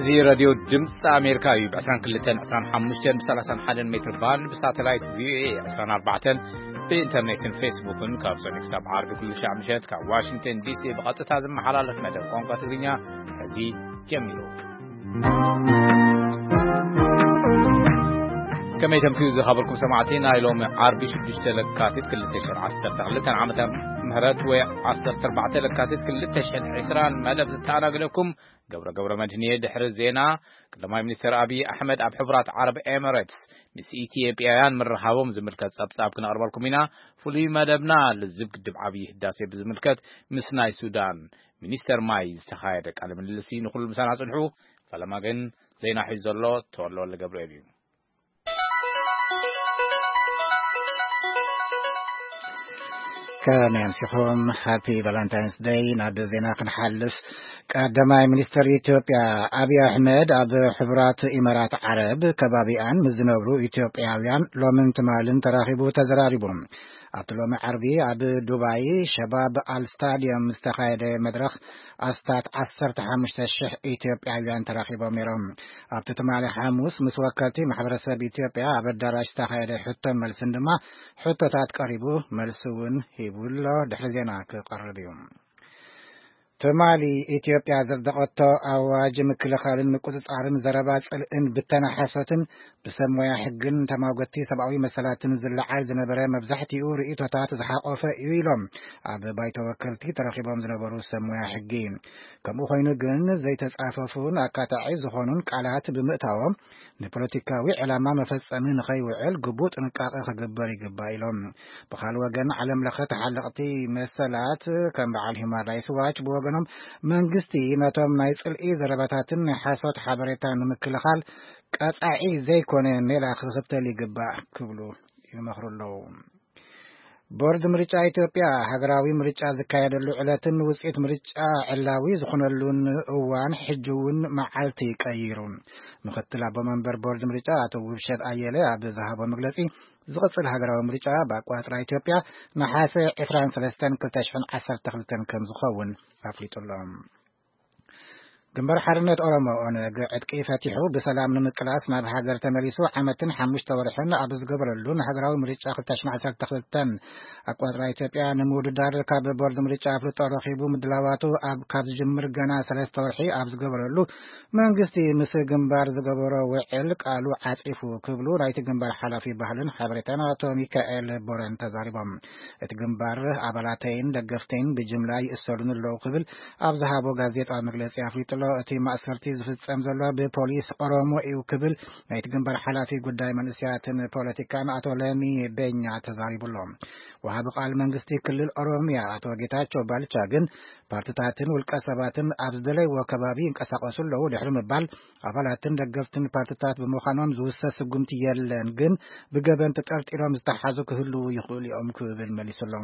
እዚ ሬድዮ ድምፂ ኣሜሪካ እዩ። ብ22፣ 25፣ ብ31 ሜትር ባንድ፣ ብሳተላይት ቪኦኤ 24፣ ብኢንተርኔትን ፌስቡክን ካብ ሰኒ ክሳብ ዓርቢ ኩሉ ሻዕ ምሸት ካብ ዋሽንግተን ዲሲ ብቐጥታ ዝመሓላለፍ መደብ ቋንቋ ትግርኛ ሕጂ ጀሚሩ። ከመይ ተምስዩ ዝኸበርኩም ሰማዕቲ፣ ናይ ሎሚ ዓርቢ ሽዱሽተ ለካቲት ክልተ ሽሕን ዓሰርተ ክልተን ዓመተ ምህረት ወይ ዓሰርተ ኣርባዕተ ለካቲት ክልተ ሽሕን ዕስራን መደብ ዝተኣናገደኩም ገብረ ገብረ መድህን እየ። ድሕሪ ዜና፣ ቀዳማይ ሚኒስትር ኣብይ ኣሕመድ ኣብ ሕቡራት ዓረብ ኤምሬትስ ምስ ኢትዮጵያውያን ምርኻቦም ዝምልከት ጸብጻብ ክነቕርበልኩም ኢና። ፍሉይ መደብና ልዝብ ግድብ ዓብዪ ህዳሴ ብዝምልከት ምስ ናይ ሱዳን ሚኒስተር ማይ ዝተኻየደ ቃለ ምልልስ እዩ። ንኹሉ ምሳና ጽንሑ። ፈለማ ግን ዜና ሒዙ ዘሎ ተወልደ ወልደ ገብርኤል እዩ። ከመይ ኣምሲኹም? ሃፒ ቫለንታይንስ ደይ። ናብ ዜና ክንሓልፍ፣ ቀዳማይ ሚኒስትር ኢትዮጵያ ኣብይ ኣሕመድ ኣብ ሕቡራት ኢማራት ዓረብ ከባቢኣን ምስ ዝነብሩ ኢትዮጵያውያን ሎምን ትማልን ተራኺቡ ተዘራሪቡ። ኣብቲ ሎሚ ዓርቢ ኣብ ዱባይ ሸባብ ኣል ስታዲየም ዝተኻየደ መድረኽ ኣስታት ዓሰርተ ሓሙሽተ ሽሕ ኢትዮጵያውያን ተራኺቦም ነይሮም። ኣብቲ ትማሊ ሓሙስ ምስ ወከልቲ ማሕበረሰብ ኢትዮጵያ ኣብ ኣዳራሽ ዝተኻየደ ሕቶን መልስን ድማ ሕቶታት ቀሪቡ፣ መልሲ እውን ሂቡ ኣሎ። ድሕሪ ዜና ክቐርብ እዩ። ትማሊ ኢትዮጵያ ዘጽደቐቶ ኣዋጅ ምክልኻልን ምቁጽጻርን ዘረባ ጽልእን ብተና ሓሶትን ብሰብ ሞያ ሕግን ተማጎቲ ሰብኣዊ መሰላትን ዝለዓል ዝነበረ መብዛሕትኡ ርእይቶታት ዝሓቆፈ እዩ ኢሎም ኣብ ባይቶ ወከልቲ ተረኺቦም ዝነበሩ ሰብ ሞያ ሕጊ። ከምኡ ኮይኑ ግን ዘይተጻፈፉን ኣካታዒ ዝኾኑን ቃላት ብምእታዎም ንፖለቲካዊ ዕላማ መፈጸሚ ንኸይውዕል ግቡእ ጥንቃቐ ክግበር ይግባእ ኢሎም። ብኻልእ ወገን ዓለም ለኸ ተሓለቕቲ መሰላት ከም በዓል ሂውማን ራይትስ ዋች ብወገኖም መንግስቲ ነቶም ናይ ጽልኢ ዘረባታትን ናይ ሓሶት ሓበሬታ ንምክልኻል ቀጻዒ ዘይኮነ ሜላ ክኽተል ይግባእ ክብሉ ይመኽሩ ኣለዉ። ቦርድ ምርጫ ኢትዮጵያ ሃገራዊ ምርጫ ዝካየደሉ ዕለትን ውፅኢት ምርጫ ዕላዊ ዝኾነሉን እዋን ሕጂ እውን መዓልቲ ቀይሩ። ምክትል ኣቦ መንበር ቦርድ ምርጫ ኣቶ ውብሸት ኣየለ ኣብ ዝሃቦ መግለፂ፣ ዝቕፅል ሃገራዊ ምርጫ ብኣቋፅራ ኢትዮጵያ ነሓሰ ዕስራን ሰለስተን ክልተ ሽሕን ዓሰርተ ክልተን ከም ዝኸውን ኣፍሊጡ ኣሎ። ግንባር ሓርነት ኦሮሞ ኦነግ ዕጥቂ ፈቲሑ ብሰላም ንምቅላስ ናብ ሃገር ተመሊሱ ዓመትን ሓሙሽተ ወርሕን ኣብ ዝገበረሉ ንሃገራዊ ምርጫ ክልተ ሽሕን ዓሰርተ ክልተን ኣቋፅራ ኢትዮጵያ ንምውድዳር ካብ ቦርድ ምርጫ ኣፍልጦ ረኺቡ ምድላዋቱ ኣብ ካብ ዝጅምር ገና ሰለስተ ወርሒ ኣብ ዝገበረሉ መንግስቲ ምስ ግንባር ዝገበሮ ውዕል ቃሉ ዓፂፉ ክብሉ ናይቲ ግንባር ሓላፊ ባህልን ሓበሬታን ኣቶ ሚካኤል ቦረን ተዛሪቦም። እቲ ግንባር ኣባላተይን ደገፍተይን ብጅምላ ይእሰሩን ኣለዉ ክብል ኣብ ዝሃቦ ጋዜጣዊ መግለጺ ኣፍሊጡ ኣሎ። እቲ ማእሰርቲ ዝፍጸም ዘሎ ብፖሊስ ኦሮሞ እዩ ክብል ናይቲ ግንባር ሓላፊ ጉዳይ መንእሰያትን ፖለቲካን ኣቶ ለሚ ቤኛ ተዛሪቡ ኣሎ። ወሃቢ ቃል መንግስቲ ክልል ኦሮሚያ ኣቶ ጌታቸው ባልቻ ግን ፓርትታትን ውልቀ ሰባትን ኣብ ዝደለይዎ ከባቢ ይንቀሳቐሱ ኣለዉ ድሕሪ ምባል፣ ኣባላትን ደገፍትን ፓርትታት ብምዃኖም ዝውሰድ ስጉምቲ የለን፣ ግን ብገበን ተጠርጢሮም ዝተሓዙ ክህልዉ ይኽእሉ እዮም ክብል መሊሱ ኣሎ።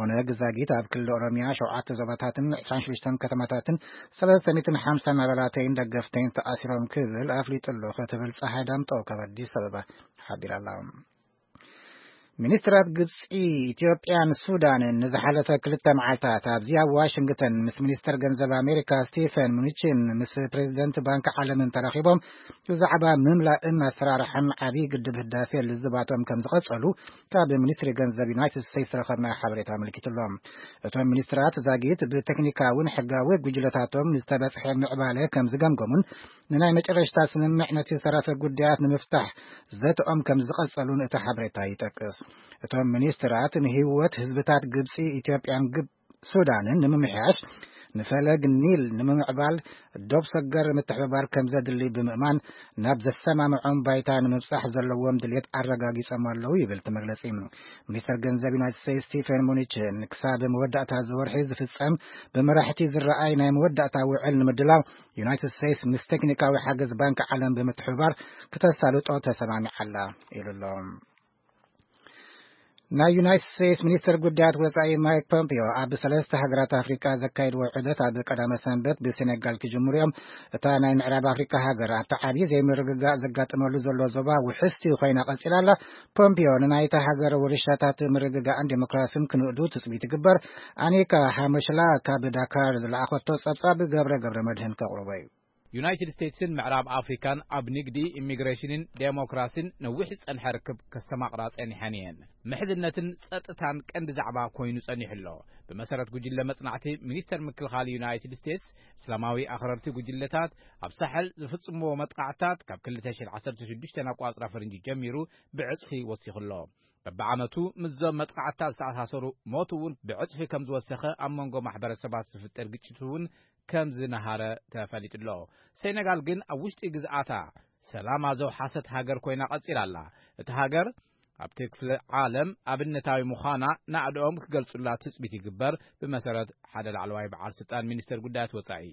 ኦነግ ዛጊት ኣብ ክልል ኦሮሚያ ሸውዓተ ዞባታትን ዕስራን ሽዱሽተን ከተማታትን ሰለስተ ሚእትን ሓምሳን ኣባላተይን ደገፍተይን ተኣሲሮም ክብል ኣፍሊጡ ኣሎ ክትብል ፀሓይ ዳምጠው ካብ ኣዲስ ኣበባ ሓቢራ ኣላ። ሚኒስትራት ግብፂ፣ ኢትዮጵያን ሱዳንን ንዝሓለፈ ክልተ መዓልታት ኣብዚ ኣብ ዋሽንግተን ምስ ሚኒስተር ገንዘብ ኣሜሪካ ስቲፈን ሙኒችን ምስ ፕሬዚደንት ባንክ ዓለምን ተራኺቦም ብዛዕባ ምምላእን ኣሰራርሓን ዓብዪ ግድብ ህዳሴ ልዝባቶም ከም ዝቐጸሉ ካብ ሚኒስትሪ ገንዘብ ዩናይትድ ስቴትስ ዝረኸብናዮ ሓበሬታ ኣመልኪቱ ኣሎ። እቶም ሚኒስትራት ዛጊት ብቴክኒካውን ሕጋዊ ጉጅለታቶም ዝተበጽሐ ምዕባለ ከም ዝገምገሙን ንናይ መጨረሽታ ስምምዕ ነቲ ዝተረፈ ጉዳያት ንምፍታሕ ዘተኦም ከም ዝቐጸሉን እቲ ሓበሬታ ይጠቅስ። እቶም ሚኒስትራት ንህይወት ህዝብታት ግብጺ፣ ኢትዮጵያን ግብ-፣ ሱዳንን ንምምሕያሽ፣ ንፈለግ ኒል ንምምዕባል ዶብ ሰገር ምትሕብባር ከም ዘድሊ ብምእማን ናብ ዘሰማምዖም ባይታ ንምብጻሕ ዘለዎም ድልየት ኣረጋጊጾም ኣለዉ ይብል እቲ መግለጺ። ሚኒስተር ገንዘብ ዩናይትድ ስቴትስ ስቲፈን ሙኒችን ክሳብ መወዳእታ እዚ ወርሒ ዝፍጸም ብመራሕቲ ዝረኣይ ናይ መወዳእታ ውዕል ንምድላው ዩናይትድ ስቴትስ ምስ ቴክኒካዊ ሓገዝ ባንክ ዓለም ብምትሕብባር ክተሳልጦ ተሰማሚዓ ኣላ ኢሉ ኣሎ። ናይ ዩናይትድ ስቴትስ ሚኒስትር ጉዳያት ወጻኢ ማይክ ፖምፒዮ ኣብ ሰለስተ ሃገራት ኣፍሪቃ ዘካየድዎ ዑደት ኣብ ቀዳመ ሰንበት ብሴኔጋል ክጅምሩ እዮም። እታ ናይ ምዕራብ ኣፍሪቃ ሃገር ኣብቲ ዓብዪ ዘይምርግጋእ ዘጋጥመሉ ዘሎ ዞባ ውሕስቲ ኮይና ቀጺላ ኣላ። ፖምፒዮ ንናይታ ሃገር ውርሻታት ምርግጋእን ዴሞክራስን ክንእዱ ትጽቢት ይግበር። ኣኒካ ሃመሽላ ካብ ዳካር ዝለኣኸቶ ጸብጻብ ገብረ ገብረ መድህን ከቕርቦ እዩ። ዩናይትድ ስቴትስን ምዕራብ ኣፍሪካን ኣብ ንግዲ፣ ኢሚግሬሽንን ዴሞክራሲን ነዊሕ ዝጸንሐ ርክብ ከስተማቕራ ጸኒሐን እየን። ምሕዝነትን ጸጥታን ቀንዲ ዛዕባ ኮይኑ ጸኒሑ ኣሎ። ብመሰረት ጉጅለ መጽናዕቲ ሚኒስተር ምክልኻል ዩናይትድ ስቴትስ፣ እስላማዊ ኣኽረርቲ ጉጅለታት ኣብ ሳሕል ዝፍጽምዎ መጥቃዕታት ካብ ክልተ ሽሕን ዓሰርተ ሽዱሽተን ኣቋጽራ ፈረንጂ ጀሚሩ ብዕጽፊ ወሲኹ ኣሎ። በብዓመቱ ምስዞም መጥቃዕትታት ዝተኣሳሰሩ ሞት እውን ብዕጽፊ ከም ዝወሰኸ፣ ኣብ መንጎ ማሕበረሰባት ዝፍጠር ግጭት እውን ከም ዝነሃረ ተፈሊጡ ኣሎ። ሴነጋል ግን ኣብ ውሽጢ ግዝኣታ ሰላማ ዘውሓሰት ሃገር ኮይና ቀጺላ ኣላ። እቲ ሃገር ኣብቲ ክፍለ ዓለም ኣብነታዊ ምዃና ናእድኦም ክገልጹላ ትጽቢት ይግበር፣ ብመሰረት ሓደ ላዕለዋይ በዓል ስልጣን ሚኒስተር ጉዳያት ወጻኢ።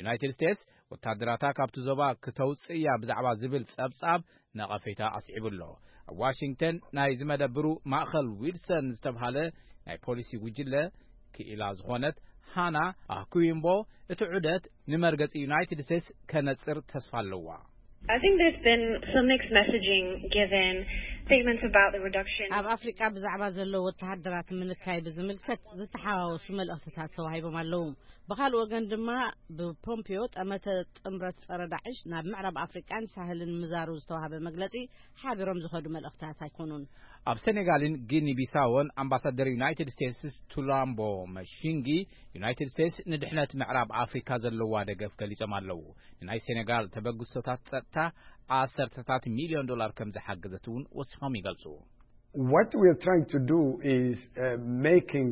ዩናይትድ ስቴትስ ወታደራታ ካብቲ ዞባ ክተውጽእ እያ ብዛዕባ ዝብል ጸብጻብ ነቐፌታ ኣስዒቡ ኣሎ። ኣብ ዋሽንግተን ናይ ዝመደብሩ ማእኸል ዊልሰን ዝተብሃለ ናይ ፖሊሲ ጉጅለ ክኢላ ዝኾነት ሃና ኣኩዊምቦ፣ እቲ ዑደት ንመርገጺ ዩናይትድ ስቴትስ ከነጽር ተስፋ ኣለዋ። I think there's been some mixed messaging given statements about the reduction. ኣብ ኣፍሪቃ ብዛዕባ ዘሎ ወተሃደራት ምንካይ ብዝምልከት ዝተሓዋወሱ መልእኽትታት ተዋሂቦም ኣለዉ። ብኻልእ ወገን ድማ፣ ብፖምፒዮ ጠመተ ጥምረት ጸረ ዳዕሽ ናብ ምዕራብ ኣፍሪቃን ሳህልን ምዛሩ ዝተዋሃበ መግለጺ ሓቢሮም ዝኸዱ መልእኽትታት ኣይኮኑን። ኣብ ሴኔጋልን ጊኒ ቢሳዎን ኣምባሳደር ዩናይትድ ስቴትስ ቱላምቦ መሺንጊ፣ ዩናይትድ ስቴትስ ንድሕነት ምዕራብ ኣፍሪካ ዘለዋ ደገፍ ገሊጾም ኣለዉ። ንናይ ሴኔጋል ተበግሶታት ጸጥታ ዓሰርተታት ሚልዮን ዶላር ከም ዝሓገዘት እውን ወሲኾም ይገልጹ። What we are trying to do is uh, making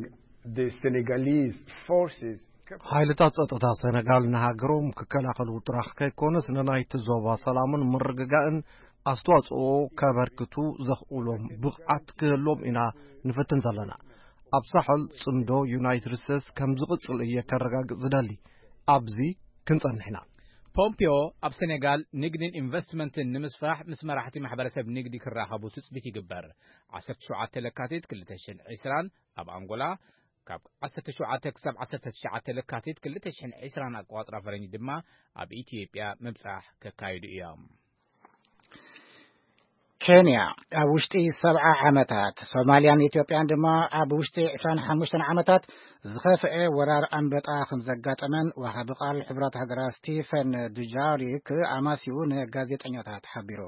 the Senegalese forces. ሓይልታት ጸጥታ ሰነጋል ንሃገሮም ክከላኸሉ ጥራሕ ከይኮነስ፣ ንናይቲ ዞባ ሰላምን ምርግጋእን ኣስተዋጽኦ ከበርክቱ ዘኽእሎም ብቕዓት ክህሎም ኢና ንፍትን ዘለና። ኣብ ሳሕል ጽምዶ ዩናይትድ ስቴትስ ከም ዝቕጽል እየ ከረጋግጽ ዝደሊ። ኣብዚ ክንጸንሕ ኢና። ፖምፒዮ ኣብ ሴኔጋል ንግድን ኢንቨስትመንትን ንምስፋሕ ምስ መራሕቲ ማሕበረሰብ ንግዲ ክራኸቡ ትጽቢት ይግበር። ዓሰርተ ሸውዓተ ለካቲት ክልተ ሽሕን ዕስራን ኣብ ኣንጎላ፣ ካብ ዓሰርተ ሸውዓተ ክሳብ ዓሰርተ ትሽዓተ ለካቲት ክልተ ሽሕን ዕስራን ኣቋጽራ ፈረንጂ ድማ ኣብ ኢትዮጵያ ምብጻሕ ከካይዱ እዮም። ኬንያ ኣብ ውሽጢ ሰብዓ ዓመታት፣ ሶማልያን ኢትዮጵያን ድማ ኣብ ውሽጢ ዕስራን ሓሙሽተን ዓመታት ዝኸፍአ ወራር ኣንበጣ ከም ዘጋጠመን ወሃቢ ቃል ሕቡራት ሃገራት ስቲፈን ዱጃሪክ ኣማሲኡ ንጋዜጠኛታት ሓቢሩ።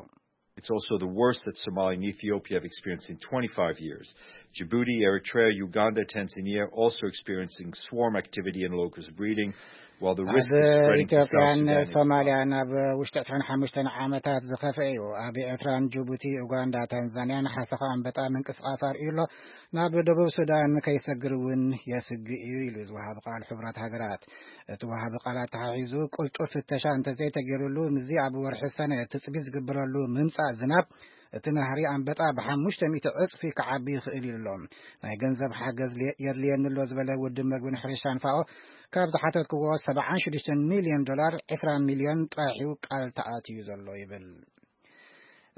It's also the worst that Somalia and Ethiopia have experienced in twenty-five years. Djibouti, Eritrea, Uganda, Tanzania also experiencing swarm activity and locust breeding, while the risk ኣብ is spreading to South ኢትዮጵያን Sudan. ሶማልያን ኣብ ውሽጢ ዕስራን ሓሙሽተን ዓመታት ዝኸፍአ እዩ። ኣብ ኤርትራን ጅቡቲ፣ ኡጋንዳ፣ ታንዛንያን ሓሰኻ ኣንበጣ ምንቅስቃስ ኣርእዩ ኣሎ። ናብ ደቡብ ሱዳን ከይሰግር እውን የስግእ እዩ ኢሉ ዝወሃብ ቃል ሕቡራት ሃገራት። እቲ ወሃቢ ቃል ኣተሓሒዙ፣ ቅልጡፍ ፍተሻ እንተዘይተገይሩሉ፣ ምስዚ ኣብ ወርሒ ሰነ ትጽቢት ዝግበረሉ ምምጻእ ዝናብ፣ እቲ ናህሪ ኣንበጣ ብሓሙሽተ ሚእቲ ዕጽፊ ክዓቢ ይኽእል ኢሉ ኣሎ። ናይ ገንዘብ ሓገዝ ለ- የድልየኒ ኣሎ ዝበለ ውድብ መግብን ሕርሻን ፋኦ፣ ካብ ዝሓተትክዎ ሰብዓን ሽዱሽተን ሚልዮን ዶላር፣ ዕስራ ሚልዮን ጥራሕ እዩ ቃል ተኣትዩ ዘሎ ይብል።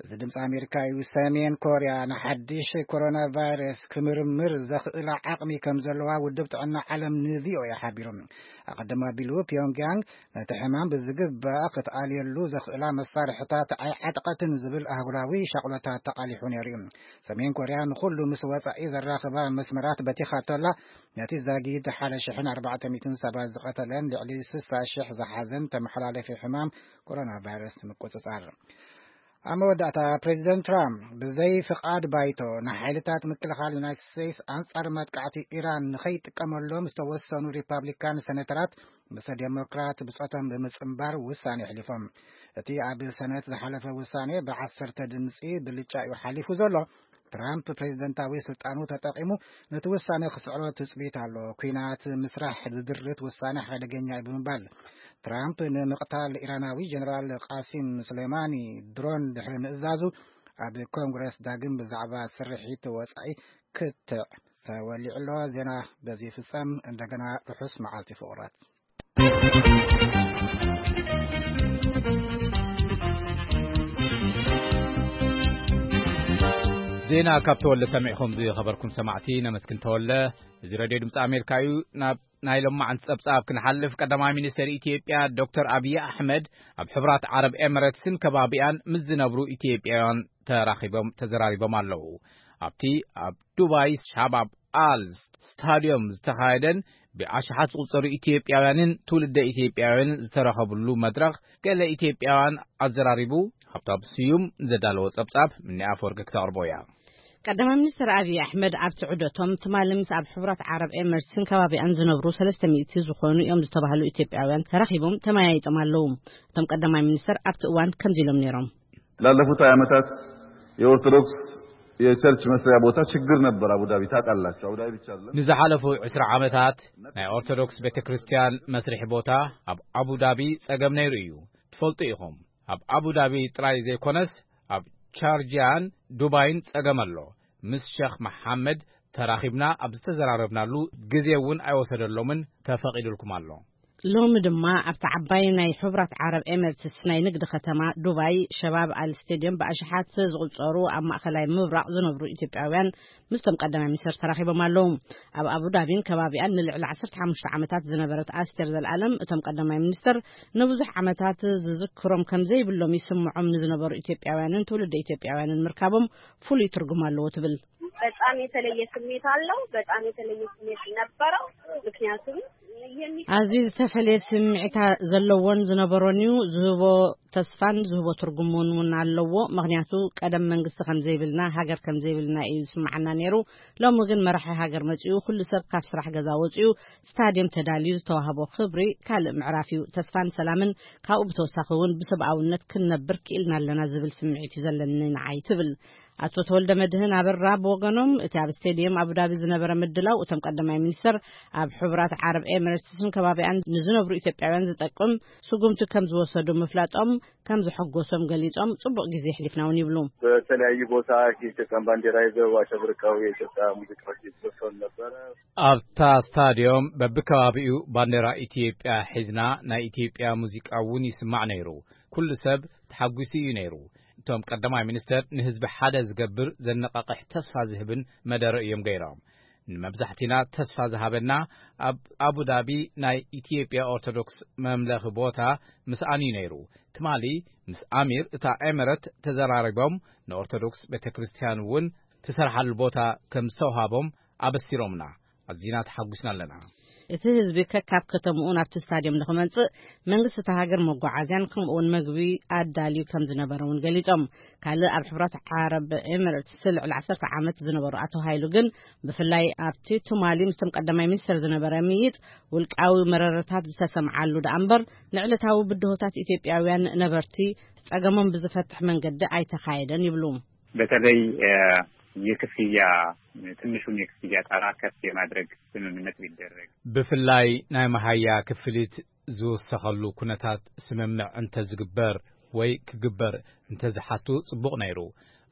እዚ ድምፂ ኣሜሪካ እዩ። ሰሜን ኮርያ ንሓድሽ ኮሮና ቫይረስ ክምርምር ዘኽእላ ዓቕሚ ከም ዘለዋ ውድብ ጥዕና ዓለም ንቪኦኤ ሓቢሩ። ኣቐድም ኣቢሉ ፒዮንግያንግ ነቲ ሕማም ብዝግባእ ክትኣልየሉ ዘኽእላ መሳርሕታት ኣይዓጠቐትን ዝብል ኣህጉራዊ ሻቕሎታት ተቓሊሑ ነይሩ እዩ። ሰሜን ኮርያ ንኹሉ ምስ ወጻኢ ዘራኽባ መስመራት በቲኻ እንተላ፣ ነቲ ዛጊድ ሓደ ሽሕን ኣርባዕተ ሚእትን ሰባት ዝቐተለን ልዕሊ ስሳ ሽሕ ዝሓዘን ተመሓላለፊ ሕማም ኮሮና ቫይረስ ንምቁጽጻር። ኣብ መወዳእታ፣ ፕሬዚደንት ትራምፕ ብዘይ ፍቓድ ባይቶ ንሓይልታት ምክልኻል ዩናይትድ ስቴትስ ኣንጻር መጥቃዕቲ ኢራን ንኸይጥቀመሎም ዝተወሰኑ ሪፓብሊካን ሴኔተራት ምስ ዴሞክራት ብጾቶም ብምጽንባር ውሳኔ ኣሕሊፎም። እቲ ኣብ ሰነት ዝሓለፈ ውሳኔ ብዓሰርተ ድምጺ ብልጫ እዩ ሓሊፉ ዘሎ። ትራምፕ ፕሬዚደንታዊ ስልጣኑ ተጠቒሙ ነቲ ውሳኔ ክስዕሮ ትጽቢት ኣሎ። ኲናት ምስራሕ ዝድርት ውሳኔ ሓደገኛ እዩ ብምባል፣ ትራምፕ ንምቕታል ኢራናዊ ጀነራል ቃሲም ሱሌማኒ ድሮን ድሕሪ ምእዛዙ፣ ኣብ ኮንግረስ ዳግም ብዛዕባ ስርሒት ወጻኢ ክትዕ ተወሊዑ ኣሎ። ዜና በዚ ይፍጸም። እንደገና ርሑስ መዓልቲ ፍቑራት። ዜና ካብ ተወለ ሰሚዕኹም ዝኸበርኩም ሰማዕቲ ነመስግን ተወለ። እዚ ሬድዮ ድምፂ ኣሜሪካ እዩ። ናብ ናይ ሎማዓንቲ ጸብጻብ ክንሓልፍ፣ ቀዳማይ ሚኒስተር ኢትዮጵያ ዶክተር ኣብይ ኣሕመድ ኣብ ሕቡራት ዓረብ ኤምሬትስን ከባቢኣን ምስ ዝነብሩ ኢትዮጵያውያን ተራኺቦም ተዘራሪቦም ኣለዉ። ኣብቲ ኣብ ዱባይ ሻባብ ኣል ስታድዮም ዝተኻየደን ብኣሽሓት ዝቑጸሩ ኢትዮጵያውያንን ትውልደ ኢትዮጵያውያንን ዝተረኸብሉ መድረኽ፣ ገለ ኢትዮጵያውያን ኣዘራሪቡ። ሃብታሙ ስዩም ዘዳለዎ ጸብጻብ፣ ምኒ ኣፈወርቂ ክተቕርቦ እያ። ቀዳማይ ሚኒስትር ኣብይ ኣሕመድ ኣብቲ ዑደቶም፣ ትማሊ ምስ ኣብ ሕቡራት ዓረብ ኤምሬትስን ከባቢኣን ዝነብሩ ሰለስተ ሚእቲ ዝኾኑ እዮም ዝተባህሉ ኢትዮጵያውያን ተራኺቦም ተመያይጦም ኣለዉ። እቶም ቀዳማይ ሚኒስትር ኣብቲ እዋን ከምዚ ኢሎም ነይሮም። ላለፉት ሃያ ዓመታት የኦርቶዶክስ የቸርች መስሪያ ቦታ ችግር ነበር። አቡዳቢ ታውቃላችሁ። አቡዳቢ ብቻ አይደለም። ንዝሓለፉ ዕስራ ዓመታት ናይ ኦርቶዶክስ ቤተ ክርስቲያን መስርሒ ቦታ ኣብ ኣቡዳቢ ጸገም ነይሩ እዩ። ትፈልጡ ኢኹም። ኣብ ኣቡዳቢ ጥራይ ዘይኮነስ፣ ኣብ ቻርጂያን ዱባይን ጸገም ኣሎ። ምስ ሸኽ መሓመድ ተራኺብና ኣብ ዝተዘራረብናሉ ግዜ እውን ኣይወሰደሎምን፣ ተፈቒዱልኩም ኣሎ። ሎሚ ድማ ኣብቲ ዓባይ ናይ ሕቡራት ዓረብ ኤምሬትስ ናይ ንግዲ ከተማ ዱባይ፣ ሸባብ ኣል ስቴድዮም፣ ብኣሽሓት ዝቑጸሩ ኣብ ማእከላይ ምብራቕ ዝነብሩ ኢትዮጵያውያን ምስቶም ቀዳማይ ሚኒስትር ተራኺቦም ኣለዉ። ኣብ ኣቡዳቢን ከባቢኣን ንልዕሊ ዓሰርተ ሓሙሽተ ዓመታት ዝነበረት ኣስቴር ዘልኣለም፣ እቶም ቀዳማይ ሚኒስትር ንብዙሕ ዓመታት ዝዝክሮም ከም ዘይብሎም ይስምዖም ንዝነበሩ ኢትዮጵያውያንን ትውልደ ኢትዮጵያውያንን ምርካቦም ፍሉይ ትርጉም ኣለዎ ትብል። በጣም የተለየ ስሜት አለው። በጣም የተለየ ስሜት ነበረው። ምክንያቱም የሚ- ኣዝዩ ዝተፈለየ ስምዒታ ዘለዎን ዝነበሮን እዩ። ዝህቦ ተስፋን ዝህቦ ትርጉምን እውን ኣለዎ። ምክንያቱ ቀደም መንግስቲ ከም ዘይብልና፣ ሃገር ከም ዘይብልና እዩ ዝስምዓና ነይሩ። ሎሚ ግን መራሒ ሃገር መጺኡ፣ ኩሉ ሰብ ካብ ስራሕ ገዛ ወጺኡ፣ ስታድየም ተዳልዩ ዝተዋህቦ ክብሪ ካልእ ምዕራፍ እዩ። ተስፋን ሰላምን፣ ካብኡ ብተወሳኺ እውን ብሰብኣውነት ክንነብር ክኢልና ኣለና ዝብል ስምዒት እዩ ዘለኒ ንዓይ ትብል። ኣቶ ተወልደ መድህን ኣበራ ብወገኖም፣ እቲ ኣብ ስቴድየም ኣቡዳቢ ዝነበረ ምድላው፣ እቶም ቀዳማይ ሚኒስትር ኣብ ሕቡራት ዓረብ ኤምሬትስን ከባቢኣን ንዝነብሩ ኢትዮጵያውያን ዝጠቅም ስጉምቲ ከም ዝወሰዱ ምፍላጦም ከም ዘሐጎሶም ገሊጾም፣ ጽቡቕ ግዜ ኣሕሊፍና እውን ይብሉ። በተለያዩ ቦታ የኢትዮጵያን ባንዲራ ይዘው አሸብርቀው የኢትዮጵያ ሙዚቃዎች ይዘፈኑ ነበረ። ኣብታ ስታድዮም በብከባቢኡ ባንዴራ ኢትዮጵያ ሒዝና ናይ ኢትዮጵያ ሙዚቃ እውን ይስማዕ ነይሩ። ኩሉ ሰብ ተሓጒሱ እዩ ነይሩ። እቶም ቀዳማይ ሚኒስተር ንህዝቢ ሓደ ዝገብር ዘነቓቕሕ ተስፋ ዝህብን መደረ እዮም ገይሮም። ንመብዛሕቲና ተስፋ ዝሃበና ኣብ ኣቡዳቢ ናይ ኢትዮጵያ ኦርቶዶክስ መምለኺ ቦታ ምስኣን እዩ ነይሩ። ትማሊ ምስ ኣሚር እታ ኤመረት ተዘራሪቦም ንኦርቶዶክስ ቤተ ክርስቲያን እውን ትሰርሓሉ ቦታ ከም ዝተውሃቦም ኣበሲሮምና። ኣዚና ተሓጒስና ኣለና። እቲ ህዝቢ ከካብ ከተምኡ ናብቲ ስታድዮም ንኽመጽእ መንግስቲ እታ ሃገር መጓዓዝያን ከምኡውን መግቢ ኣዳልዩ ከም ዝነበረ እውን ገሊጾም። ካልእ ኣብ ሕብራት ዓረብ ኤምሬትስ ልዕሊ ዓሰርተ ዓመት ዝነበሩ ኣቶ ሃይሉ ግን ብፍላይ ኣብቲ ትማሊ ምስቶም ቀዳማይ ሚኒስትር ዝነበረ ምይጥ ውልቃዊ መረረታት ዝተሰምዓሉ ደኣ እምበር ንዕለታዊ ብድሆታት ኢትዮጵያውያን ነበርቲ ጸገሞም ብዝፈትሕ መንገዲ ኣይተኻየደን ይብሉ። በተለይ የክፍያ ትንሹን የክፍያ ጣራ ከፍ የማድረግ ስምምነት ቢደረግ። ብፍላይ ናይ መሃያ ክፍሊት ዝውሰኸሉ ኩነታት ስምምዕ እንተዝግበር ወይ ክግበር እንተዝሓቱ ጽቡቕ ነይሩ።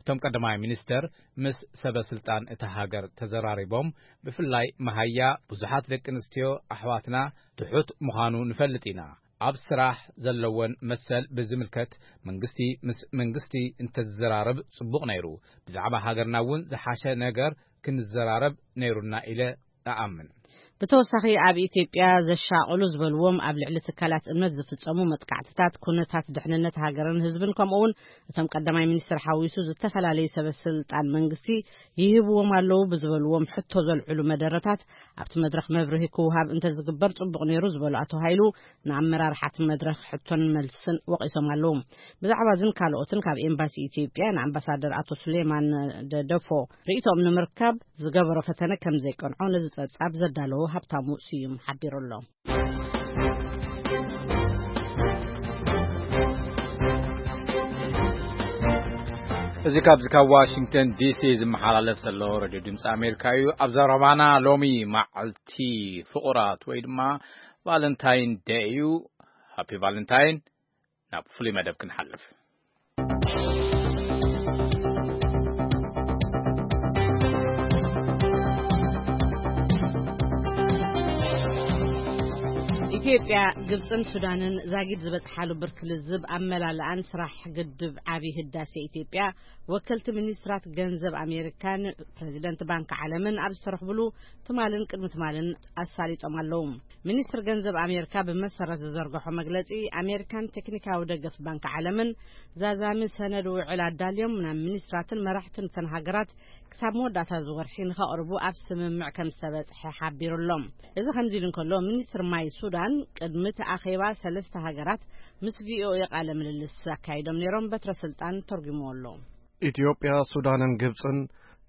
እቶም ቀዳማይ ሚኒስተር ምስ ሰበ ስልጣን እታ ሃገር ተዘራሪቦም፣ ብፍላይ መሃያ ብዙሓት ደቂ ኣንስትዮ ኣሕዋትና ትሑት ምዃኑ ንፈልጥ ኢና። ኣብ ስራሕ ዘለወን መሰል ብዝምልከት መንግስቲ ምስ መንግስቲ እንተዝዘራረብ ጽቡቕ ነይሩ። ብዛዕባ ሃገርና እውን ዝሓሸ ነገር ክንዘራረብ ነይሩና ኢለ እኣምን። ብተወሳኺ ኣብ ኢትዮጵያ ዘሻቕሉ ዝበልዎም ኣብ ልዕሊ ትካላት እምነት ዝፍጸሙ መጥቃዕትታት፣ ኩነታት ድሕንነት ሃገርን ህዝብን ከምኡውን እቶም ቀዳማይ ሚኒስትር ሓዊሱ ዝተፈላለዩ ሰበ ስልጣን መንግስቲ ይህብዎም ኣለዉ ብዝበልዎም ሕቶ ዘልዕሉ መደረታት ኣብቲ መድረኽ መብርሂ ክውሃብ እንተዝግበር ጽቡቕ ነይሩ ዝበሉ ኣቶ ሃይሉ፣ ንኣመራርሓ እቲ መድረኽ ሕቶን መልስን ወቒሶም ኣለዉ። ብዛዕባ እዝን ካልኦትን ካብ ኤምባሲ ኢትዮጵያ ንኣምባሳደር ኣቶ ሱሌማን ደደፎ ርእይቶኦም ንምርካብ ዝገበሮ ፈተነ ከም ዘይቀንዖ ነዚ ጸብጻብ ዘዳለዎ ሃብታሙ ስዩም ሓቢሩ ኣሎ። እዚ ካብዚ ካብ ዋሽንግተን ዲሲ ዝመሓላለፍ ዘሎ ሬድዮ ድምፂ ኣሜሪካ እዩ። ኣብ ዘረባና ሎሚ መዓልቲ ፍቑራት ወይ ድማ ቫለንታይን ደይ እዩ። ሃፒ ቫለንታይን። ናብ ፍሉይ መደብ ክንሓልፍ። ኢትዮጵያ፣ ግብጽን ሱዳንን ዛጊድ ዝበጽሓሉ ብርኪ ልዝብ ኣመላልኣን ስራሕ ግድብ ዓቢ ህዳሴ ኢትዮጵያ ወከልቲ ሚኒስትራት ገንዘብ ኣሜሪካን ፕሬዚደንት ባንክ ዓለምን ኣብ ዝተረኽብሉ ትማልን ቅድሚ ትማልን ኣሳሊጦም ኣለዉ። ሚኒስትር ገንዘብ ኣሜሪካ ብመሰረት ዝዘርግሖ መግለጺ፣ ኣሜሪካን ቴክኒካዊ ደገፍ ባንክ ዓለምን ዛዛሚ ሰነድ ውዕል ኣዳልዮም ናብ ሚኒስትራትን መራሕትን እተን ሃገራት ክሳብ መወዳእታ እዚ ወርሒ ንኸቕርቡ ኣብ ስምምዕ ከም ዝተበጽሐ ሓቢሩ ኣሎ። እዚ ከምዚ ኢሉ እንከሎ፣ ሚኒስትር ማይ ሱዳን ቅድሚ እቲ ኣኼባ ሰለስተ ሃገራት ምስ ቪኦኤ ቃለ ምልልስ ኣካይዶም ነይሮም። በትረ ስልጣን ተርጉምዎ ኣሎ። ኢትዮጵያ፣ ሱዳንን ግብጽን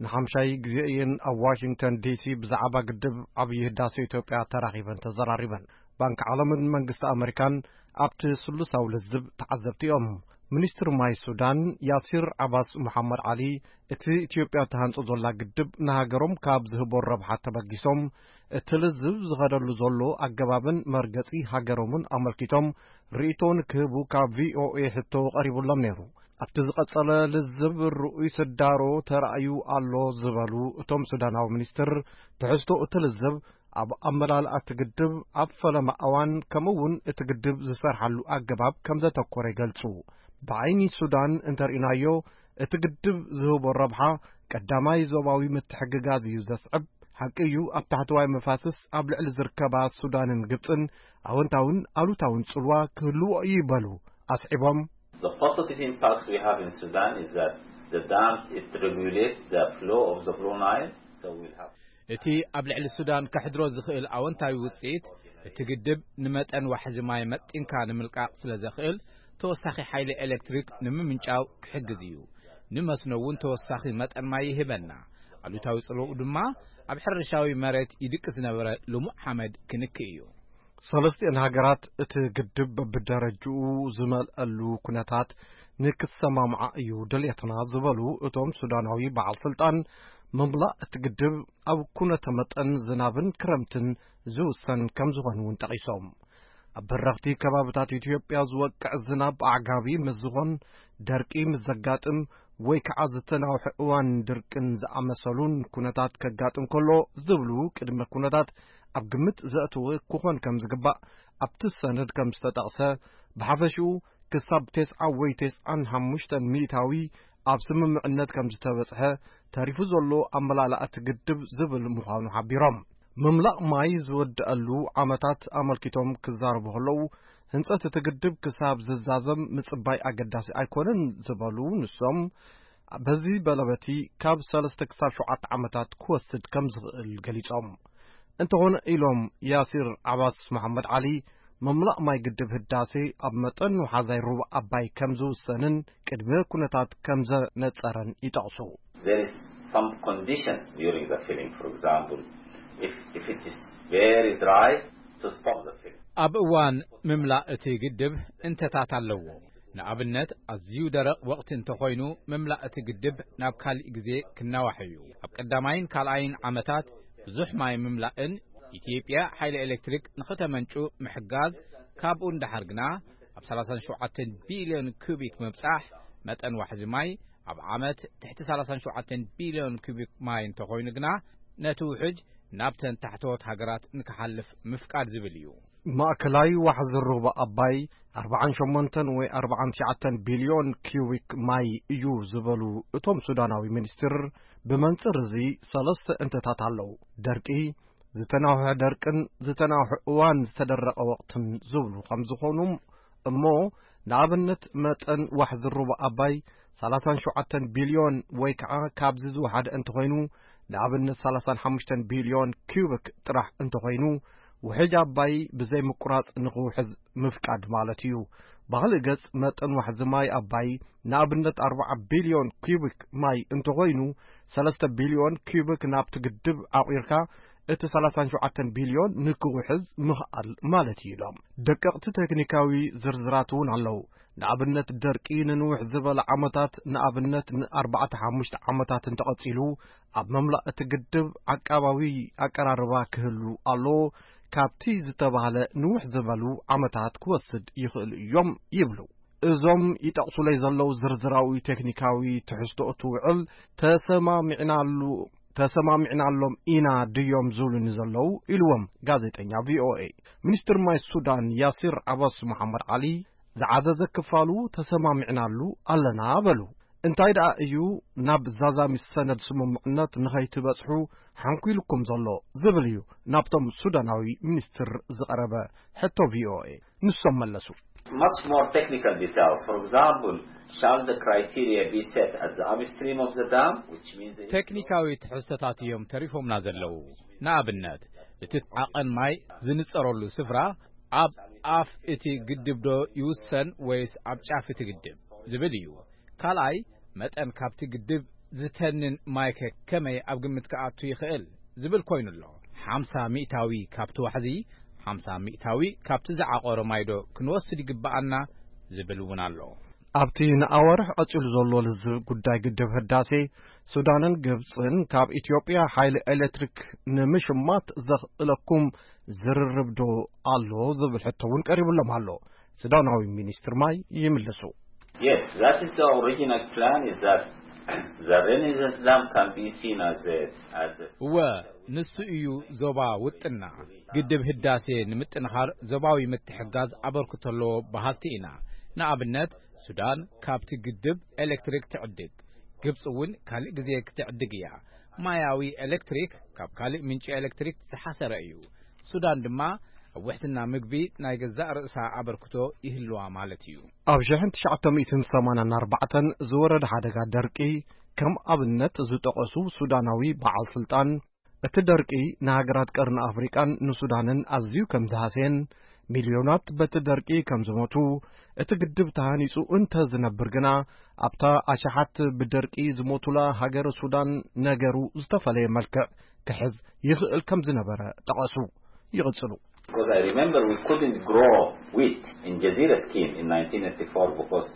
ንሓምሻይ ግዜ እየን ኣብ ዋሽንግተን ዲሲ ብዛዕባ ግድብ ዓብዪ ህዳሴ ኢትዮጵያ ተራኺበን ተዘራሪበን። ባንክ ዓለምን መንግስቲ ኣመሪካን ኣብቲ ስሉሳዊ ልዝብ ተዓዘብቲ እዮም። ሚኒስትር ማይ ሱዳን ያሲር ዓባስ መሓመድ ዓሊ፣ እቲ ኢትዮጵያ እትሃንጾ ዘላ ግድብ ንሃገሮም ካብ ዝህቦ ረብሓ ተበጊሶም እቲ ልዝብ ዝኸደሉ ዘሎ ኣገባብን መርገጺ ሃገሮምን ኣመልኪቶም ርእይቶ ንክህቡ ካብ ቪኦኤ ሕቶ ቀሪቡሎም ነይሩ። ኣብቲ ዝቐጸለ ልዝብ ርኡይ ስዳሮ ተራእዩ ኣሎ ዝበሉ እቶም ሱዳናዊ ሚኒስትር፣ ትሕዝቶ እቲ ልዝብ ኣብ ኣመላልኣ እቲ ግድብ፣ ኣብ ፈለማ እዋን፣ ከምኡ እውን እቲ ግድብ ዝሰርሓሉ ኣገባብ ከም ዘተኮረ ይገልጹ። ብዓይኒ ሱዳን እንተርኢናዮ፣ እቲ ግድብ ዝህቦ ረብሓ ቀዳማይ ዞባዊ ምትሕግጋዝ እዩ ዘስዕብ። ሓቂ እዩ፣ ኣብ ታሕተዋይ መፋስስ ኣብ ልዕሊ ዝርከባ ሱዳንን ግብጽን ኣወንታውን ኣሉታውን ጽልዋ ክህልዎ እዩ ይበሉ ኣስዒቦም። The positive impacts we have in Sudan is that the dam, it regulates the flow of the Blue Nile, so we'll have እቲ ኣብ ልዕሊ ሱዳን ከሕድሮ ዝኽእል ኣወንታዊ ውጽኢት፣ እቲ ግድብ ንመጠን ዋሕዚ ማይ መጢንካ ንምልቃቕ ስለ ዘኽእል፣ ተወሳኺ ሓይሊ ኤሌክትሪክ ንምምንጫው ክሕግዝ እዩ። ንመስኖ እውን ተወሳኺ መጠን ማይ ይህበና። ኣሉታዊ ጽልዋኡ ድማ ኣብ ሕርሻዊ መሬት ይድቂ ዝነበረ ልሙዕ ሓመድ ክንክእ እዩ። ሰለስቲኤን ሃገራት እቲ ግድብ በብደረጅኡ ዝመልአሉ ኩነታት ንክሰማምዓ እዩ ድልየትና ዝበሉ እቶም ሱዳናዊ በዓል ስልጣን፣ ምምላእ እቲ ግድብ ኣብ ኩነተ መጠን ዝናብን ክረምትን ዝውሰን ከም ዝኾነ እውን ጠቒሶም። ኣብ በረኽቲ ከባብታት ኢትዮጵያ ዝወቅዕ ዝናብ ኣዕጋቢ ምስ ዝኾን፣ ደርቂ ምስ ዘጋጥም ወይ ከዓ ዝተናውሐ እዋን ድርቅን ዝኣመሰሉን ኩነታት ከጋጥም ከሎ ዝብሉ ቅድመ ኩነታት ኣብ ግምት ዘእተወ ክኾን ከም ዝግባእ ኣብቲ ሰነድ ከም ዝተጠቕሰ፣ ብሓፈሽኡ ክሳብ ተስዓ ወይ ተስዓን ሓሙሽተን ሚእታዊ ኣብ ስምምዕነት ከም ዝተበጽሐ፣ ተሪፉ ዘሎ ኣመላልኣ እቲ ግድብ ዝብል ምዃኑ ሓቢሮም። ምምላእ ማይ ዝወድኣሉ ዓመታት ኣመልኪቶም ክዛረቡ ከለዉ፣ ህንጸት እቲ ግድብ ክሳብ ዝዛዘም ምጽባይ ኣገዳሲ ኣይኮነን ዝበሉ ንሶም፣ በዚ በለበቲ ካብ ሰለስተ ክሳብ ሸውዓተ ዓመታት ክወስድ ከም ዝኽእል ገሊጾም። እንተኾነ ኢሎም ያሲር ዓባስ መሓመድ ዓሊ፣ ምምላእ ማይ ግድብ ህዳሴ ኣብ መጠን ወሓዛይ ሩባ ኣባይ ከም ዝውሰንን ቅድመ ኩነታት ከም ዘነጸረን ይጠቕሱ። There is some conditions during the filling, for example, if, if it is very dry, to stop the filling. ኣብ እዋን ምምላእ እቲ ግድብ እንተታት ኣለዎ። ንኣብነት፣ ኣዝዩ ደረቕ ወቕቲ እንተኾይኑ፣ ምምላእ እቲ ግድብ ናብ ካልእ ግዜ ክናዋሕ እዩ። ኣብ ቀዳማይን ካልኣይን ዓመታት ብዙሕ ማይ ምምላእን ኢትዮጵያ ሓይሊ ኤሌክትሪክ ንኽተመንጩ ምሕጋዝ፣ ካብኡ ንደሓር ግና ኣብ ሰላሳን ሸውዓተን ቢልዮን ኩቢክ ምብጻሕ፣ መጠን ዋሕዚ ማይ ኣብ ዓመት ትሕቲ ሰላሳን ሸውዓተን ቢልዮን ኩቢክ ማይ እንተኾይኑ ግና፣ ነቲ ውሕጅ ናብተን ታሕተዎት ሃገራት ንክሓልፍ ምፍቃድ ዝብል እዩ። ማእከላይ ዋሕዚ ሩባ ኣባይ ኣርብዓን ሸሞንተን ወይ ኣርብዓን ትሽዓተን ቢልዮን ኪዩቢክ ማይ እዩ ዝበሉ እቶም ሱዳናዊ ሚኒስትር፣ ብመንጽር እዚ ሰለስተ እንተታት ኣለዉ። ደርቂ፣ ዝተናውሐ ደርቅን ዝተናውሐ እዋን ዝተደረቐ ወቕትን ዝብሉ ከም ዝኾኑ እሞ፣ ንኣብነት መጠን ዋሕዚ ሩባ ኣባይ ሰላሳን ሸውዓተን ቢልዮን ወይ ከዓ ካብዚ ዝወሓደ እንተኾይኑ፣ ንኣብነት ሰላሳን ሓሙሽተን ቢልዮን ኪዩቢክ ጥራሕ እንተኾይኑ፣ ውሕጅ ኣባይ ብዘይ ምቁራጽ ንኽውሕዝ ምፍቃድ ማለት እዩ። ብኻልእ ገጽ፣ መጠን ዋሕዚ ማይ ኣባይ ንኣብነት ኣርብዓ ቢልዮን ኪዩቢክ ማይ እንተኾይኑ፣ ሰለስተ ቢልዮን ኪዩቢክ ናብቲ ግድብ ዓቑርካ እቲ ሰላሳን ሸውዓተን ቢልዮን ንክውሕዝ ምኽኣል ማለት እዩ ኢሎም። ደቀቕቲ ቴክኒካዊ ዝርዝራት እውን ኣለዉ። ንኣብነት፣ ደርቂ ንንውሕ ዝበለ ዓመታት፣ ንኣብነት ንኣርባዕተ ሓሙሽተ ዓመታት እንተቐጺሉ፣ ኣብ መምላእ እቲ ግድብ ዓቃባዊ ኣቀራርባ ክህሉ ኣለዎ። ካብቲ ዝተባህለ ንውሕ ዝበሉ ዓመታት ክወስድ ይኽእሉ እዮም ይብሉ። እዞም ይጠቕሱለይ ዘለዉ ዝርዝራዊ ቴክኒካዊ ትሕዝቶ እቲ ውዕል ተሰማሚዕናሉ፣ ተሰማሚዕናሎም ኢና ድዮም ዝብሉኒ ዘለዉ? ኢልዎም ጋዜጠኛ ቪኦኤ። ሚኒስትር ማይ ሱዳን ያሲር ዓባስ መሓመድ ዓሊ ዝዓዘዘ ክፋሉ ተሰማሚዕናሉ ኣለና በሉ። እንታይ ደኣ እዩ ናብ ዛዛሚ ሰነድ ስምምዕነት ንኸይትበጽሑ ሓንኲልኩም ዘሎ ዝብል እዩ ናብቶም ሱዳናዊ ሚኒስትር ዝቐረበ ሕቶ ቪኦኤ። ንሶም መለሱ። Much more technical details. For example, shall the criteria be set at the upstream of the dam, which means the ቴክኒካዊ ትሕዝቶታት እዮም ተሪፎምና ዘለዉ። ንኣብነት፣ እቲ ዓቐን ማይ ዝንጸረሉ ስፍራ ኣብ ኣፍ እቲ ግድብ ዶ ይውሰን ወይስ ኣብ ጫፍ እቲ ግድብ ዝብል እዩ። ካልኣይ፣ መጠን ካብቲ ግድብ ዝተንን ማይከ ከመይ ኣብ ግምት ክኣቱ ይኽእል ዝብል ኮይኑ ኣሎ። ሓምሳ ሚእታዊ ካብቲ ዋሕዚ፣ ሓምሳ ሚእታዊ ካብቲ ዝዓቆረ ማይዶ ክንወስድ ይግብኣና ዝብል እውን ኣሎ። ኣብቲ ንኣዋርሕ ቀጺሉ ዘሎ ልዝብ ጉዳይ ግድብ ህዳሴ፣ ሱዳንን ግብጽን ካብ ኢትዮጵያ ሓይሊ ኤሌክትሪክ ንምሽማት ዘኽእለኩም ዝርርብ ዶ ኣሎ ዝብል ሕቶ እውን ቀሪቡሎም ኣሎ። ሱዳናዊ ሚኒስትር ማይ ይምልሱ። Yes, that is the original plan, is that the Renaissance Dam can be seen as a, as a እወ፣ ንሱ እዩ ዞባ ውጥና። ግድብ ህዳሴ ንምጥንኻር ዞባዊ ምትሕጋዝ ኣበርክቶ ኣለዎ በሃልቲ ኢና። ንኣብነት፣ ሱዳን ካብቲ ግድብ ኤሌክትሪክ ትዕድግ፣ ግብፂ እውን ካልእ ግዜ ክትዕድግ እያ። ማያዊ ኤሌክትሪክ ካብ ካልእ ምንጪ ኤሌክትሪክ ዝሓሰረ እዩ። ሱዳን ድማ ኣብ ውሕስና ምግቢ ናይ ገዛእ ርእሳ ኣበርክቶ ይህልዋ ማለት እዩ። ኣብ ሽሕን ትሽዓተ ሚእትን ሰማንያን ኣርባዕተን ዝወረደ ሓደጋ ደርቂ፣ ከም ኣብነት ዝጠቐሱ ሱዳናዊ በዓል ስልጣን፣ እቲ ደርቂ ንሃገራት ቀርኒ ኣፍሪቃን ንሱዳንን ኣዝዩ ከም ዝሃስየን፣ ሚልዮናት በቲ ደርቂ ከም ዝሞቱ፣ እቲ ግድብ ተሃኒጹ እንተ ዝነብር ግና፣ ኣብታ ኣሽሓት ብደርቂ ዝሞቱላ ሃገረ ሱዳን ነገሩ ዝተፈለየ መልክዕ ክሕዝ ይኽእል ከም ዝነበረ ጠቐሱ። ይቕጽሉ። Because I remember we couldn't grow wheat in Jazeera scheme in nineteen eighty-four because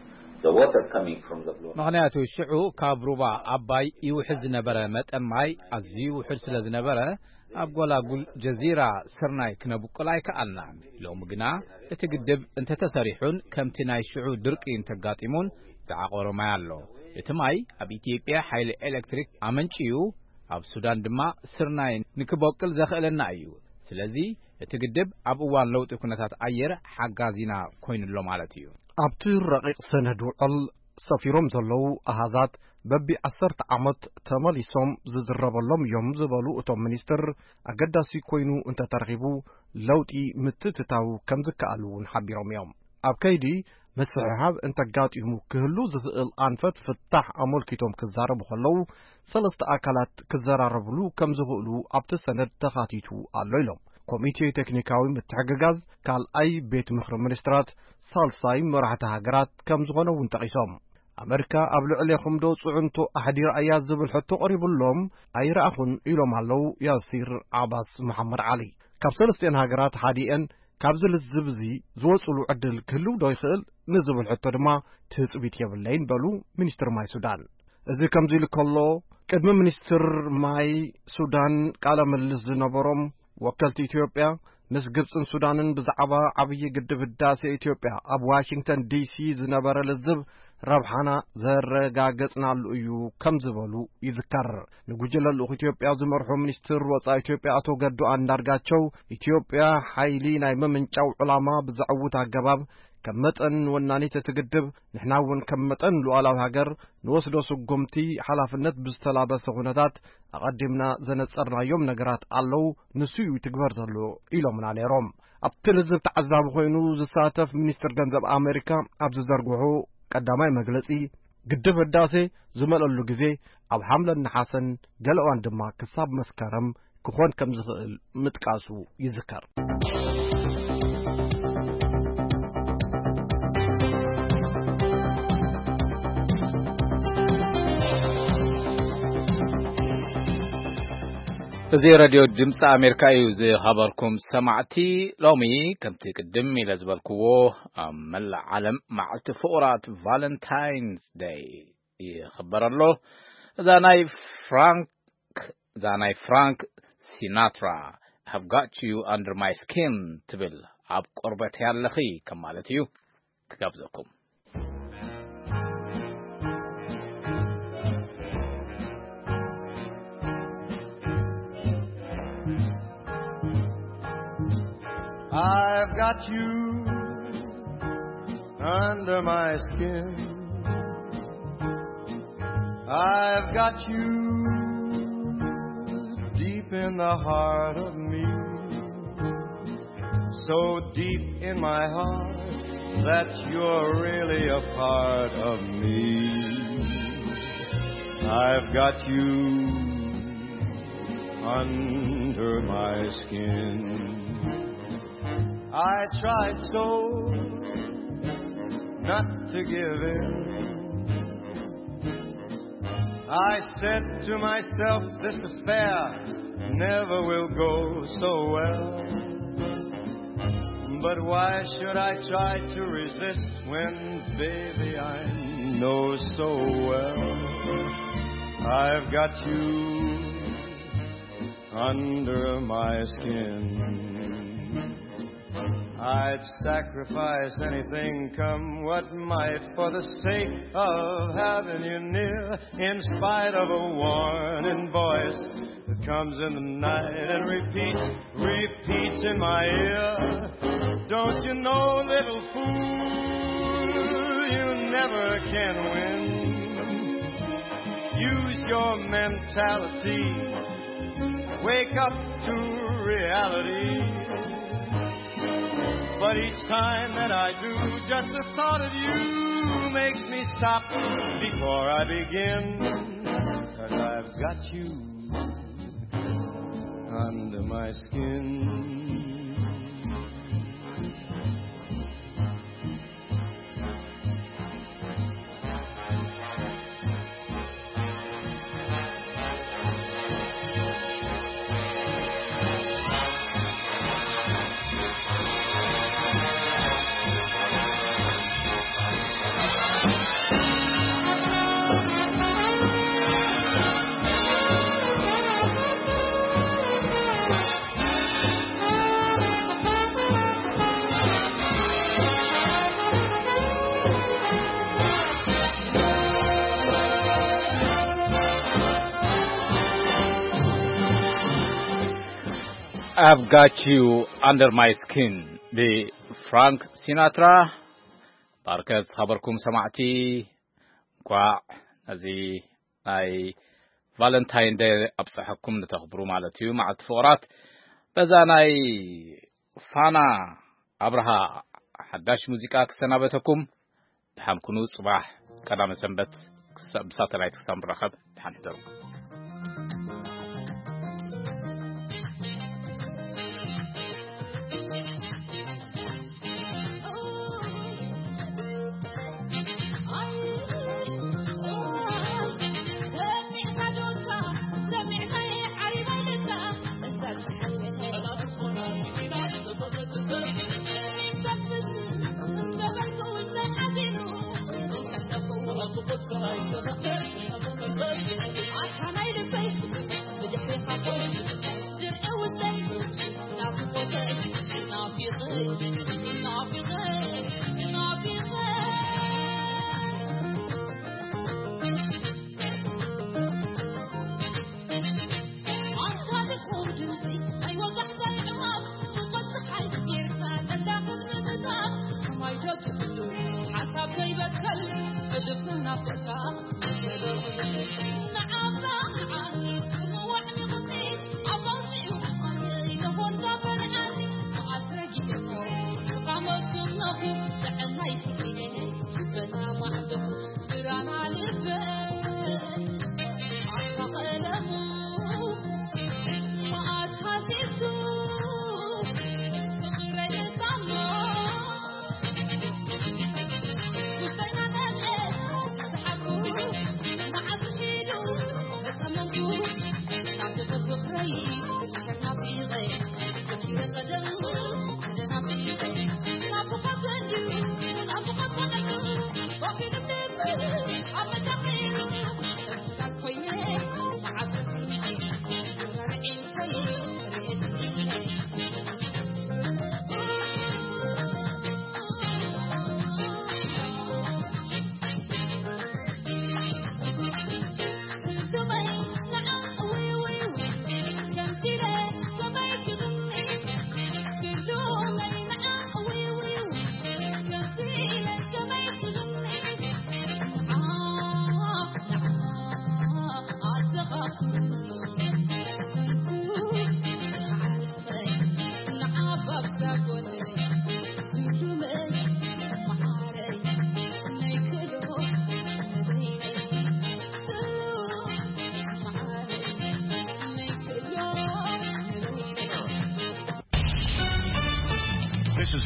the water coming from the Blue Nile. ምኽንያቱ ሽዑ ካብ ሩባ ኣባይ ይውሕዝ ዝነበረ መጠን ማይ ኣዝዩ ውሑድ ስለ ዝነበረ፣ ኣብ ጎላጉል ጀዚራ ስርናይ ክነብቁል ኣይከኣልናን። ሎሚ ግና እቲ ግድብ እንተተሰሪሑን ከምቲ ናይ ሽዑ ድርቂ እንተጋጢሙን ዝዓቆረ ማይ ኣሎ። እቲ ማይ ኣብ ኢትዮጵያ ሓይሊ ኤሌክትሪክ ኣመንጭዩ፣ ኣብ ሱዳን ድማ ስርናይ ንክበቁል ዘኽእለና እዩ። ስለዚ እቲ ግድብ ኣብ እዋን ለውጢ ኩነታት ኣየር ሓጋዚና ኮይኑሎ ማለት እዩ። ኣብቲ ረቂቕ ሰነድ ውዕል ሰፊሮም ዘለዉ ኣሃዛት በቢ ዓሰርተ ዓመት ተመሊሶም ዝዝረበሎም እዮም ዝበሉ እቶም ሚኒስትር፣ ኣገዳሲ ኮይኑ እንተተረኺቡ ለውጢ ምትእትታው ከም ዝከኣል እውን ሓቢሮም እዮም። ኣብ ከይዲ ምስሕሓብ እንተጋጢሙ ክህሉ ዝኽእል ኣንፈት ፍታሕ ኣመልኪቶም ክዛረቡ ከለዉ፣ ሰለስተ ኣካላት ክዘራረብሉ ከም ዝኽእሉ ኣብቲ ሰነድ ተኻቲቱ ኣሎ ኢሎም። ኮሚቴ ቴክኒካዊ ምትሕግጋዝ ካልኣይ ቤት ምኽሪ ሚኒስትራት ሳልሳይ መራሕቲ ሃገራት ከም ዝኾነ እውን ጠቒሶም። ኣመሪካ ኣብ ልዕሌኹም ዶ ጽዕንቶ ኣሕዲራ እያ ዝብል ሕቶ ቀሪቡሎም ኣይረኣኹን ኢሎም ኣለዉ ያሲር ዓባስ መሓመድ ዓሊ። ካብ ሰለስቲኤን ሃገራት ሓዲኤን ካብዚ ልዝብ እዚ ዝወጽሉ ዕድል ክህልው ዶ ይኽእል ንዝብል ሕቶ ድማ ትጽቢት የብለይን በሉ ሚኒስትር ማይ ሱዳን። እዚ ከምዚ ኢሉ ከሎ፣ ቅድሚ ሚኒስትር ማይ ሱዳን ቃለ ምልልስ ዝነበሮም ወከልቲ ኢትዮጵያ፣ ምስ ግብጽን ሱዳንን ብዛዕባ ዓብዪ ግድብ ህዳሴ ኢትዮጵያ ኣብ ዋሽንግተን ዲሲ ዝነበረ ልዝብ ረብሓና ዘረጋገጽናሉ እዩ ከም ዝበሉ ይዝከር። ንጉጅለ ልኡኽ ኢትዮጵያ ዝመርሑ ሚኒስትር ወጻኢ ኢትዮጵያ ኣቶ ገዱ ኣንዳርጋቸው፣ ኢትዮጵያ ሓይሊ ናይ ምምንጫው ዕላማ ብዘዕውት ኣገባብ ከም መጠን ወናኒት እቲ ግድብ፣ ንሕና እውን ከም መጠን ሉዓላዊ ሃገር ንወስዶ ስጉምቲ ሓላፍነት ብዝተላበሰ ኩነታት ኣቐዲምና ዘነጸርናዮም ነገራት ኣለዉ፣ ንሱ እዩ ይትግበር ዘሎ ኢሎምና ነይሮም። ኣብቲ ልዝብ ተዓዛቢ ኮይኑ ዝሳተፍ ሚኒስትር ገንዘብ ኣሜሪካ ኣብ ዝዘርግሑ ቀዳማይ መግለጺ፣ ግድብ ህዳሴ ዝመለሉ ግዜ ኣብ ሓምለን ነሓሰን፣ ገለ እዋን ድማ ክሳብ መስከረም ክኾን ከም ዝኽእል ምጥቃሱ ይዝከር። እዚ ሬድዮ ድምፂ ኣሜሪካ እዩ። ዝኸበርኩም ሰማዕቲ፣ ሎሚ ከምቲ ቅድም ኢለ ዝበልክዎ ኣብ መላእ ዓለም መዓልቲ ፍቑራት ቫለንታይንስ ደይ ይኽበር ኣሎ። እዛ ናይ ፍራንክ፣ እዛ ናይ ፍራንክ ሲናትራ I've got you under my skin ትብል፣ ኣብ ቆርበት ያለኺ ከም ማለት እዩ። ክጋብዘኩም። I've got you under my skin. I've got you deep in the heart of me. So deep in my heart, That you're really a part of me. I've got you under my skin. I tried so not to give in. I said to myself, this affair never will go so well. But why should I try to resist when, baby, I know so well I've got you under my skin? I'd sacrifice anything, come what might, for the sake of having you near. In spite of a warning voice that comes in the night and repeats, repeats in my ear. Don't you know, little fool, you never can win. Use your mentality. Wake up to reality. But each time that I do, just the thought of you makes me stop before I begin. Cause I've got you under my skin. I've Got You Under My Skin ብፍራንክ ሲናትራ። ባርከ ዝኸበርኩም ሰማዕቲ፣ እንኳዕ ነዚ ናይ ቫለንታይን ደይ ኣብፀሐኩም ንተኽብሩ ማለት እዩ፣ መዓልቲ ፍቕራት። በዛ ናይ ፋና ኣብርሃ ሓዳሽ ሙዚቃ ክሰናበተኩም። ደሓን ኩኑ። ጽባሕ ቀዳመ ሰንበት ክሳ-፣ ብሳተላይት ክሳብ ንራኸብ፣ ደሓን ሕደሩ።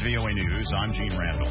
V O A News, I'm Gene Randall.